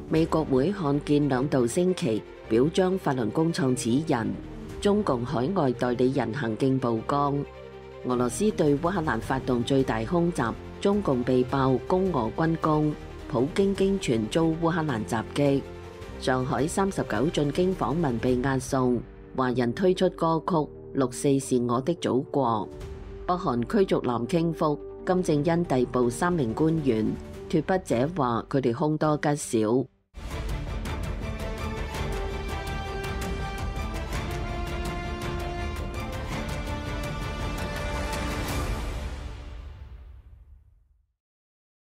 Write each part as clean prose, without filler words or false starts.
美國會看見兩度星期表彰法輪功創始人，中共海外代理人行徑曝光。俄羅斯對烏克蘭發動最大空襲，中共被爆攻俄軍功，普京驚傳遭烏克蘭襲擊。上海39進京訪問被押送，華人推出歌曲《64是我的祖國》。北韓驅逐南傾覆，金正恩逮捕3名官員，脫北者話佢哋凶多吉少。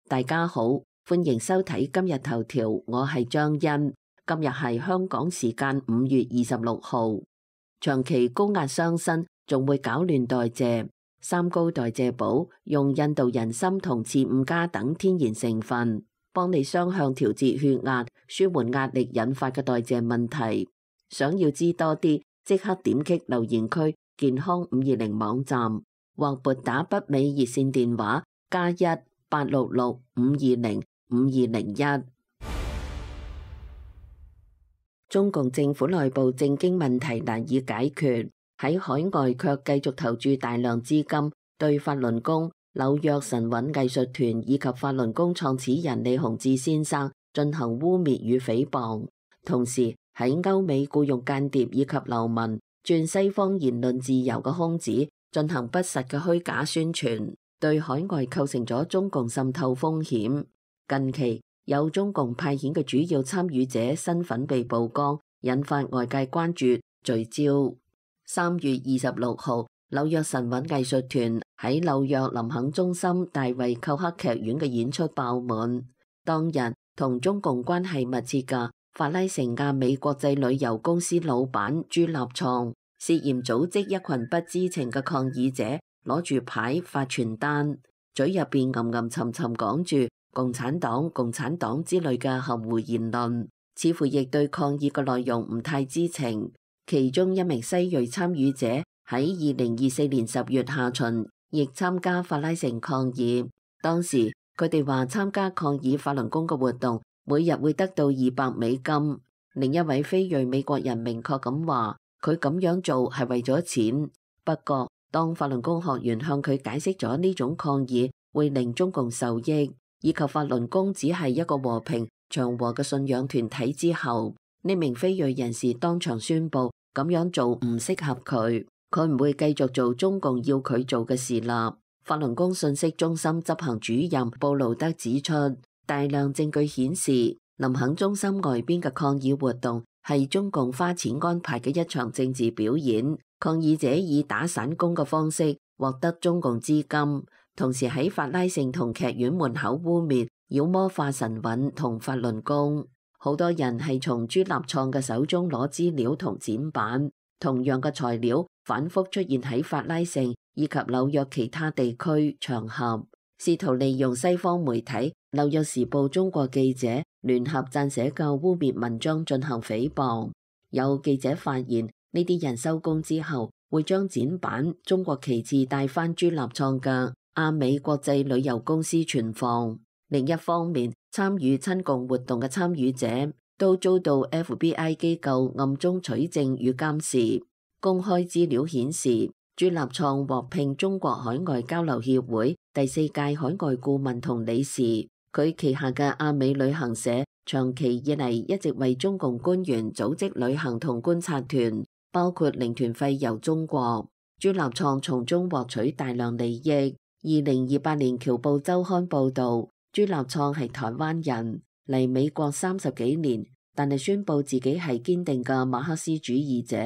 大家好，歡迎收睇今日頭條，我係張欣。今日係香港時間5月26號。長期高壓傷身，仲會搞亂代謝。三高代謝寶用印度人參同刺五加等天然成分，幫你雙向調節血壓，舒緩壓力引發嘅代謝問題。想要知多啲，即刻點擊留言區健康520網站，或撥打北美熱線電話+1-866-520-5201。中共政府內部政經問題難以解決，喺海外卻繼續投注大量資金，對法輪功、紐約神韻藝術團以及法輪功創始人李洪志先生進行污衊與誹謗，同時喺歐美僱用間諜以及流民，鑽西方言論自由嘅空子，進行不實嘅虛假宣傳，對海外構成咗中共滲透風險。近期有中共派遣嘅主要參與者身份被曝光，引發外界關注。聚焦3月26號，紐約神韻藝術團喺紐約林肯中心大衛寇克劇院嘅演出爆滿。當日同中共關係密切嘅法拉盛亞美國際旅遊公司老闆朱立創涉嫌組織一群不知情嘅抗議者，攞住牌發傳單，嘴入邊吟沉沉講住共產黨、共產黨之類嘅含糊言論，似乎亦對抗議嘅內容唔太知情。其中一名西裔參與者喺2024年10月下旬亦參加法拉盛抗議，當時佢哋話參加抗議法輪功嘅活動每日會得到$200。另一位非裔美國人明確咁話，佢咁樣做係為咗錢。不過當法輪功學員向佢解釋咗呢種抗議會令中共受益，以及法輪功只係一個和平祥和嘅信仰團體之後，呢名非裔人士當場宣布咁樣做唔適合佢，佢唔會繼續做中共要佢做嘅事啦。法輪功信息中心執行主任布魯德指出，大量證據顯示林肯中心外邊嘅抗議活動係中共花錢安排嘅一場政治表演，抗議者以打散工嘅方式獲得中共資金，同時喺法拉盛同劇院門口污衊妖魔化神韻同法輪功。好多人係從朱立創嘅手中攞資料同剪版，同樣嘅材料反覆出現喺法拉盛以及紐約其他地區場合，試圖利用西方媒體《紐約時報》中國記者聯合撰寫嘅污衊文章進行誹謗。有記者發現呢啲人收工之後會將剪版中國旗幟帶返朱立創嘅亞美國際旅遊公司存放。另一方面，參與親共活動嘅參與者都遭到 FBI 機構暗中取證與監視。公開資料顯示，朱立創獲聘中國海外交流協會第4屆海外顧問同理事，佢旗下嘅亞美旅行社長期以嚟一直為中共官員組織旅行同觀察團，包括領團費遊中國。朱立創從中獲取大量利益。2028年僑報週刊報導，朱立創係台灣人，嚟美國30幾年，但係宣布自己係堅定嘅馬克思主義者。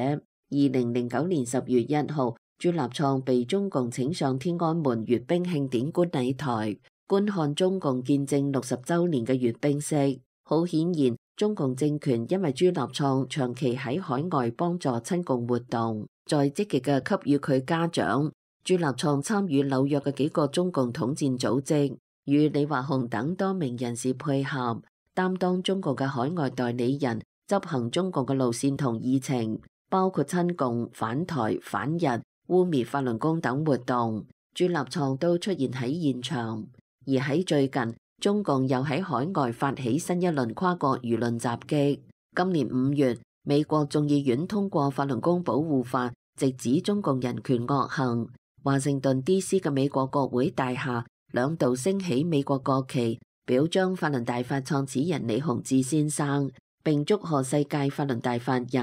2009年10月1號，朱立創被中共請上天安門閱兵慶典觀禮台，觀看中共建政60週年嘅閱兵式。好顯然，中共政權因為朱立創長期喺海外幫助親共活動，再積極嘅給予佢嘉獎。朱立創參與紐約嘅幾個中共統戰組織，與李華雄等多名人士配合，擔當中共嘅海外代理人，執行中共嘅路線同議程，包括親共、反台、反日、污衊法輪功等活動。朱立創都出現喺現場。而喺最近，中共又喺海外發起新一輪跨國輿論襲擊。今年5月，美國眾議院通過法輪功保護法，直指中共人權惡行。華盛頓 DC 嘅美國國會大廈兩度升起美國國旗，表彰法輪大法創始人李洪志先生，並祝賀世界法輪大法日。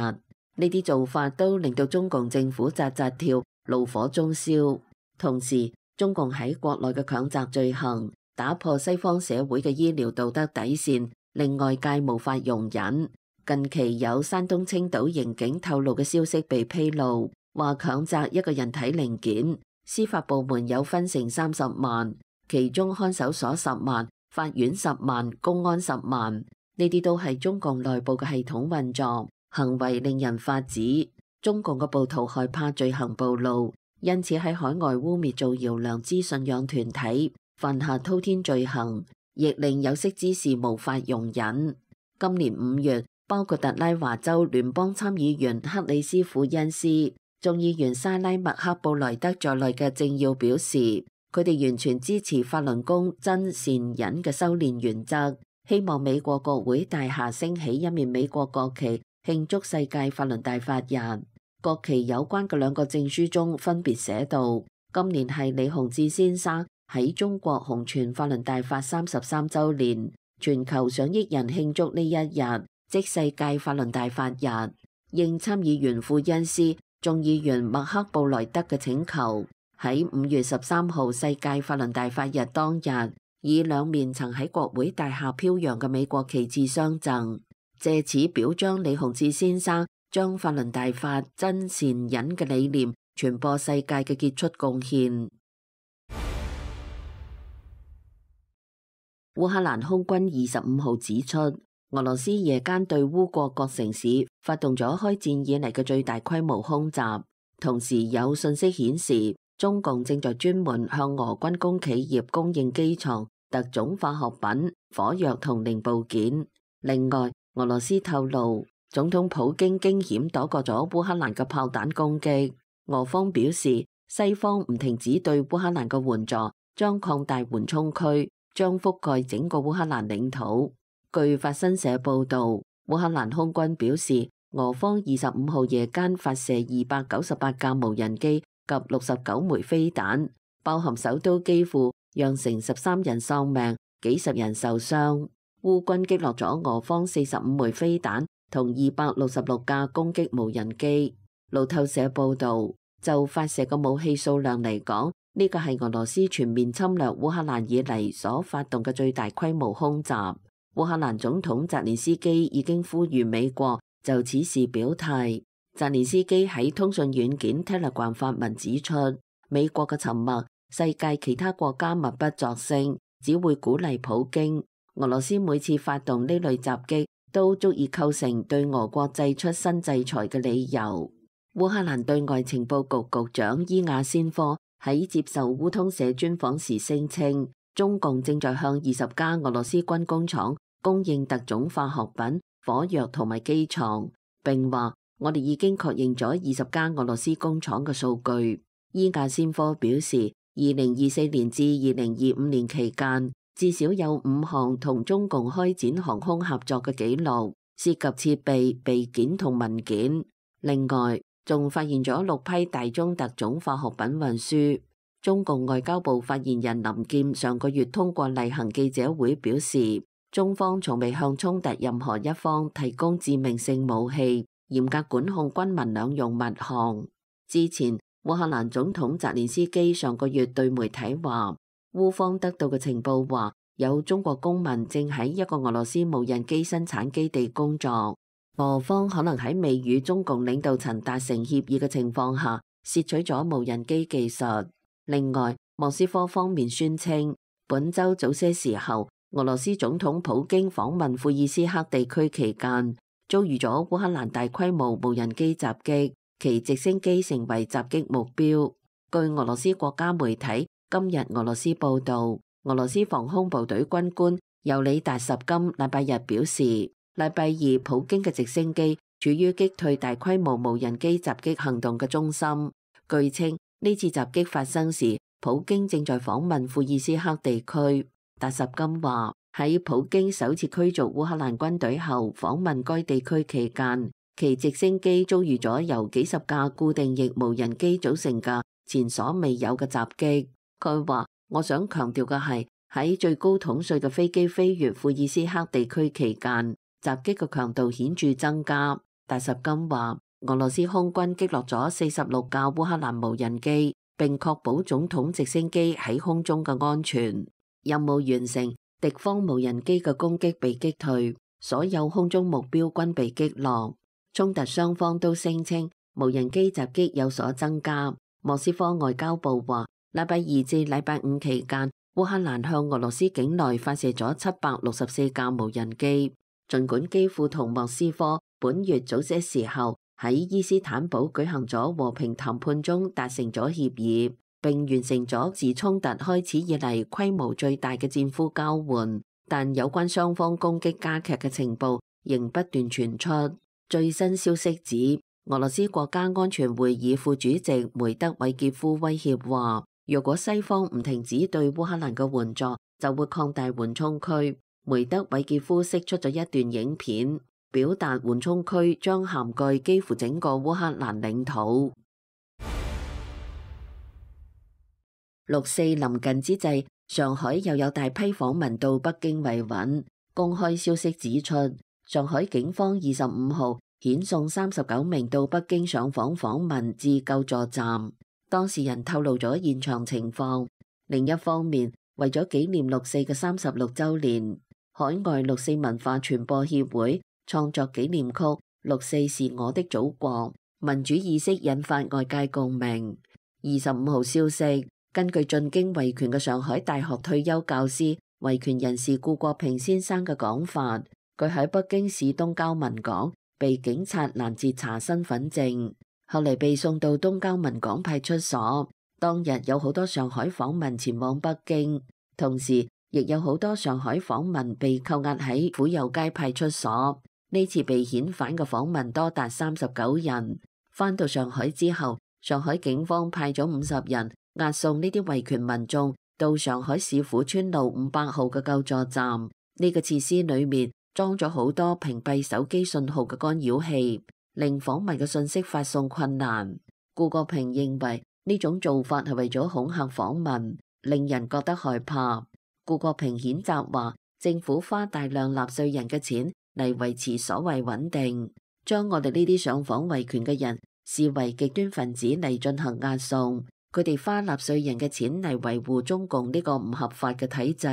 呢啲做法都令到中共政府扎扎跳，怒火中燒。同時，中共喺國內嘅強襲罪行，打破西方社會嘅醫療道德底線，令外界無法容忍。近期有山東青島刑警透露嘅消息被披露，話強摘一個人體零件，司法部門有分成30萬，其中看守所10萬，法院10萬，公安10萬。呢啲都係中共內部嘅系統運作，行為令人髮指。中共嘅暴徒害怕罪行暴露，因此喺海外污衊造謠良知信仰團體，犯下滔天罪行，亦令有識之士無法容忍。今年5月，包括特拉華州聯邦參議員克里斯庫恩斯、眾議員沙拉麥克布萊德在內嘅政要表示，佢哋完全支持法輪功真善忍嘅修煉原則，希望美國國會大廈升起一面美國國旗，慶祝世界法輪大法日。國旗有關嘅2個證書中分別寫道，今年係李洪志先生喺中國弘傳法輪大法33週年，全球上億人慶祝呢一日，即世界法輪大法日。應參議員庫恩斯、眾議員麥克布萊德嘅請求，喺5月13號世界法輪大法日當日，以2面曾喺國會大廈飄揚嘅美國旗幟相贈，借此表彰李洪志先生將法輪大法真善忍嘅理念傳播世界嘅傑出貢獻。烏克蘭空軍25號指出，俄羅斯夜間對烏國各城市發動咗開戰以嚟嘅最大規模空襲，同時有信息顯示，中共正在專門向俄軍工企業供應機床、特種化學品、火藥同零部件。另外，俄羅斯透露，總統普京驚險躲過咗烏克蘭嘅炮彈攻擊。俄方表示，西方唔停止對烏克蘭嘅援助，將擴大緩衝區，將覆蓋整個烏克蘭領土。據法新社報導，烏克蘭空軍表示，俄方25號夜間發射298架無人機及69枚飛彈，包含首都基輔，釀成13人喪命，幾十人受傷。烏軍擊落咗俄方45枚飛彈同266架攻擊無人機。路透社報導，就發射嘅武器數量嚟講，呢個係俄羅斯全面侵略烏克蘭以嚟所發動嘅最大規模空襲。烏克蘭總統澤連斯基已經呼籲美國就此事表態。澤連斯基喺通訊軟件 Telegram 發文指出，美國嘅沉默，世界其他國家默不作聲，只會鼓勵普京。俄羅斯每次發動呢類襲擊，都足以構成對俄國祭出新制裁嘅理由。烏克蘭對外情報局局長伊亞先科喺接受烏通社專訪時聲稱，中共正在向20家俄羅斯軍工廠供應特種化學品、火藥同埋機床，並話我哋已經確認咗20家俄羅斯工廠嘅數據。伊亞先科表示，2024年至2025年期間，至少有5項同中共開展航空合作嘅記錄，涉及設備、備件同文件。另外，仲發現咗6批大宗特種化學品運輸。中共外交部發言人林劍上個月通過例行記者會表示，中方從未向衝突任何一方提供致命性武器，嚴格管控軍民兩用物項。之前，烏克蘭總統澤連斯基上個月對媒體話，烏方得到嘅情報話，有中國公民正喺一個俄羅斯無人機生產基地工作。俄方可能喺未與中共領導層達成協議嘅情況下，竊取咗無人機技術。另外，莫斯科方面宣稱，本週早些時候，俄羅斯總統普京訪問庫爾斯克地區期間，遭遇咗烏克蘭大規模無人機襲擊，其直升機成為襲擊目標。據俄羅斯國家媒體今日俄羅斯報導，俄羅斯防空部隊軍官尤里達什金禮拜日表示，禮拜二普京嘅直升機處於擊退大規模無人機襲擊行動嘅中心。據稱，呢次襲擊發生時，普京正在訪問庫爾斯克地區。達什金話喺普京首次驅逐烏克蘭軍隊後訪問該地區期間，其直升機遭遇咗由幾十架固定翼無人機組成嘅前所未有嘅襲擊。佢話：我想強調嘅係喺最高統帥嘅飛機飛越庫爾斯克地區期間，襲擊嘅強度顯著增加。達什金話：俄羅斯空軍擊落咗46架烏克蘭無人機，並確保總統直升機喺空中嘅安全。任務完成，敵方無人機嘅攻擊被擊退，所有空中目標均被擊落。衝突雙方都聲稱無人機襲擊有所增加。莫斯科外交部話，禮拜二至禮拜五期間，烏克蘭向俄羅斯境內發射咗764架無人機。儘管基輔同莫斯科本月早些時候喺伊斯坦堡舉行咗和平談判中達成咗協議，並完成咗自衝突開始以嚟規模最大嘅戰俘交換，但有關雙方攻擊加劇嘅情報仍不斷傳出。最新消息指，俄羅斯國家安全會議副主席梅德韋傑夫威脅話，若果西方唔停止對烏克蘭嘅援助，就會擴大緩衝區。梅德韋傑夫釋出咗一段影片，表達緩衝區將涵蓋幾乎整個烏克蘭領土。6·4臨近之際，上海又有大批訪民到北京維穩。公開消息指出，上海警方25號遣送39名到北京上訪訪民至救助站。當事人透露咗現場情況。另一方面，為咗紀念6·4嘅36週年，海外6·4文化傳播協會創作紀念曲《6·4是我的祖國》，民主意識引發外界共鳴。25號消息，根據進京維權嘅上海大學退休教師、維權人士顧國平先生嘅講法，佢喺北京市東郊文港被警察攔截查身份證，後嚟被送到東郊文港派出所。當日有好多上海訪民前往北京，同時亦有好多上海訪民被扣押喺府右街派出所。呢次被遣返嘅訪民多達39人。返到上海之後，上海警方派咗50人押送呢啲維權民眾到上海市府村路500號嘅救助站。呢個設施裏面裝咗好多屏蔽手機信號嘅干擾器，令訪民嘅信息發送困難。顧國平認為呢種做法係為咗恐嚇訪民，令人覺得害怕。顧國平譴責話，政府花大量納稅人嘅錢嚟維持所謂穩定，將我哋呢啲上訪維權嘅人視為極端分子嚟進行押送。佢哋花納稅人嘅錢嚟維護中共呢個唔合法嘅體制，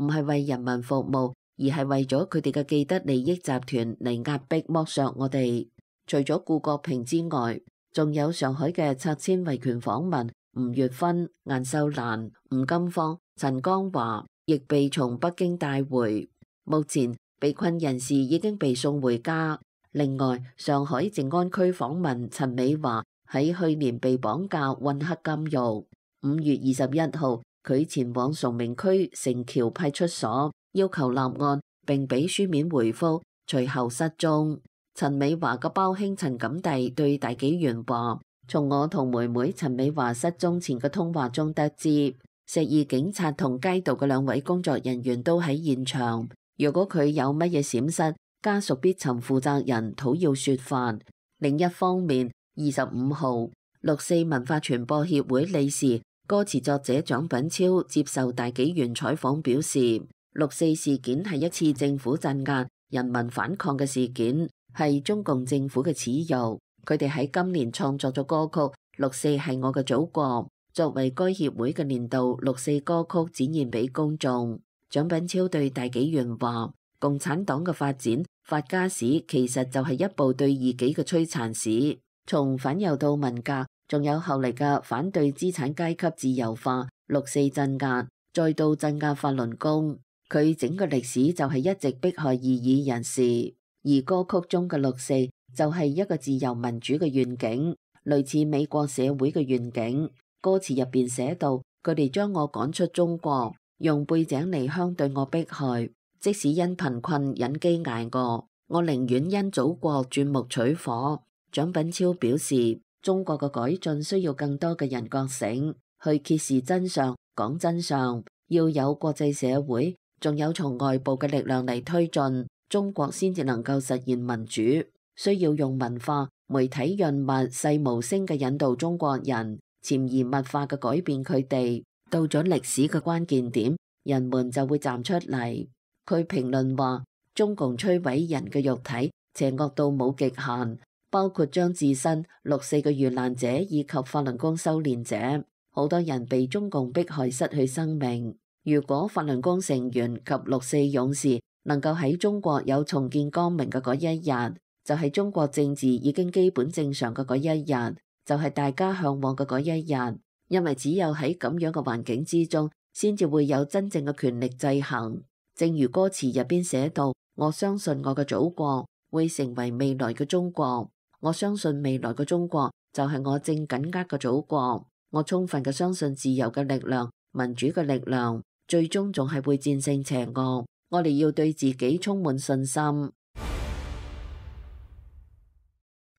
唔係為人民服務，而係為咗佢哋嘅既得利益集團嚟壓迫剝削我哋。除咗顧國平之外，仲有上海嘅拆遷維權訪民吳月芬、顏秀蘭、吳金芳、陳江華亦被從北京帶回。目前被困人士已經被送回家。另外，上海靜安區訪民陳美華喺去年被綁架混黑監獄。5月21號，佢前往崇明區城橋派出所要求立案並俾書面回覆，隨後失蹤。陳美華嘅胞兄陳錦第對大紀元話，從我同妹妹陳美華失蹤前嘅通話中得知，石二警察同街道嘅2位工作人員都喺現場。如果佢有乜嘢閃失，家屬必尋負責人討要說法。另一方面，25號6·4文化傳播協會理事、歌詞作者蔣品超接受大紀元採訪表示，6·4事件係一次政府鎮壓人民反抗嘅事件，係中共政府嘅恥辱。佢哋喺今年創作咗歌曲《6·4係我嘅祖國》，作為該協會嘅年度6·4歌曲展現俾公眾。蔣品超對大紀元話，共產黨嘅發展法家史其實就係一部對異己嘅摧殘史，從反右到文革，仲有後嚟嘅反對資產階級自由化、6·4鎮壓，再到鎮壓法輪功。佢整個歷史就係一直迫害異議人士，而歌曲中嘅6·4就係一個自由民主嘅願景，類似美國社會嘅願景。歌詞入邊寫到，佢哋將我趕出中國，用背井離鄉對我迫害，即使因貧困忍飢挨餓，我寧願因祖國鑽木取火。蔣品超表示，中國嘅改進需要更多嘅人覺醒，去揭示真相，講真相，要有國際社會，仲有從外部嘅力量嚟推進，中國先至能夠實現民主。需要用文化、媒體潤物、細無聲嘅引導中國人，潛移默化嘅改變佢哋。到咗歷史嘅關鍵點，人們就會站出嚟。佢評論話，中共摧毀人嘅肉體，邪惡到冇極限，包括將置身6·4嘅遇難者以及法輪功修煉者，好多人被中共迫害失去生命。如果法輪功成員及6·4勇士能夠喺中國有重見光明嘅嗰一日，就係中國政治已經基本正常嘅嗰一日，就係大家向往嘅嗰一日。因為只有喺咁樣嘅環境之中，先至會有真正嘅權力制衡。正如歌詞入邊寫到，我相信我嘅祖國會成為未來嘅中國，我相信未來嘅中國就係我正緊握嘅祖國。我充分嘅相信自由嘅力量、民主嘅力量，最終仲係會戰勝邪惡。我哋要對自己充滿信心。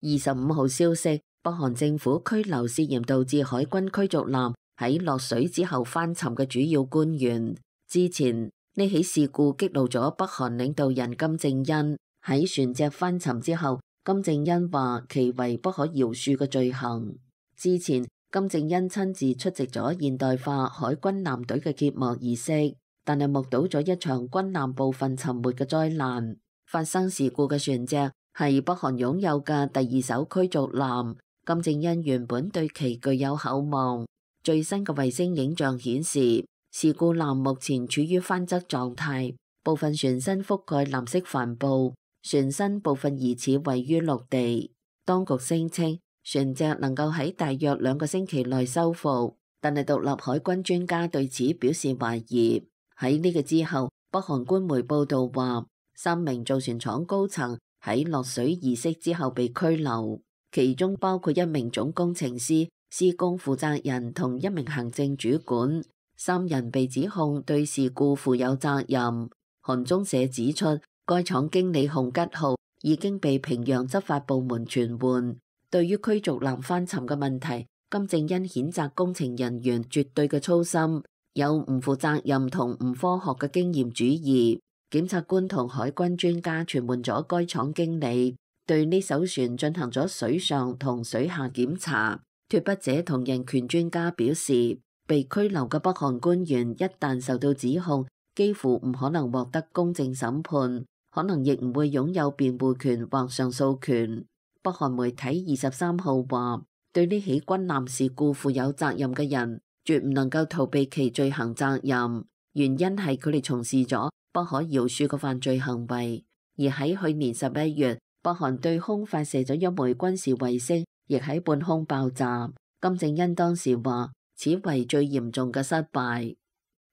25號消息，北韓政府拘留涉嫌導致海軍驅逐艦喺落水之後翻沉嘅主要官員。之前呢起事故激怒咗北韓領導人金正恩。喺船隻翻沉之後，金正恩話其為不可饒恕嘅罪行。之前金正恩親自出席咗現代化海軍艦隊嘅揭幕儀式，但係目睹咗一場軍艦部分沉沒嘅災難。發生事故嘅船隻係北韓擁有嘅第2艘驅逐艦，金正恩原本對其具有厚望。最新嘅衛星影像顯示，事故艦目前處於翻側狀態，部分船身覆蓋藍色帆布，船身部分疑似位於陸地。當局聲稱船隻能夠喺大約2個星期內修復，但係獨立海軍專家對此表示懷疑。喺呢個之後，北韓官媒報道話，3名造船廠高層喺落水儀式之後被拘留，其中包括1名總工程師、施工負責人同1名行政主管，3人被指控對事故負有責任。韓中社指出，該廠經理洪吉浩已經被平壤執法部門傳喚。對於驅逐艦翻沉嘅問題，金正恩譴責工程人員絕對嘅粗心，有唔負責任同唔科學嘅經驗主義。檢察官同海軍專家傳喚咗該廠經理，對呢艘船進行咗水上同水下檢查。脫北者同人權專家表示，被拘留嘅北韓官員一旦受到指控，幾乎唔可能獲得公正審判，可能亦唔會擁有辯護權或上訴權。北韓媒體23號話，對呢起軍艦事故負有責任嘅人，絕唔能夠逃避其罪行責任，原因係佢哋從事咗不可饒恕嘅犯罪行為。而喺去年11月，北韓對空發射咗1枚軍事衛星，亦喺半空爆炸。金正恩當時話，此為最嚴重嘅失敗。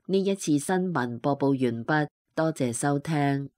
呢一次新聞播報完畢，多謝收聽。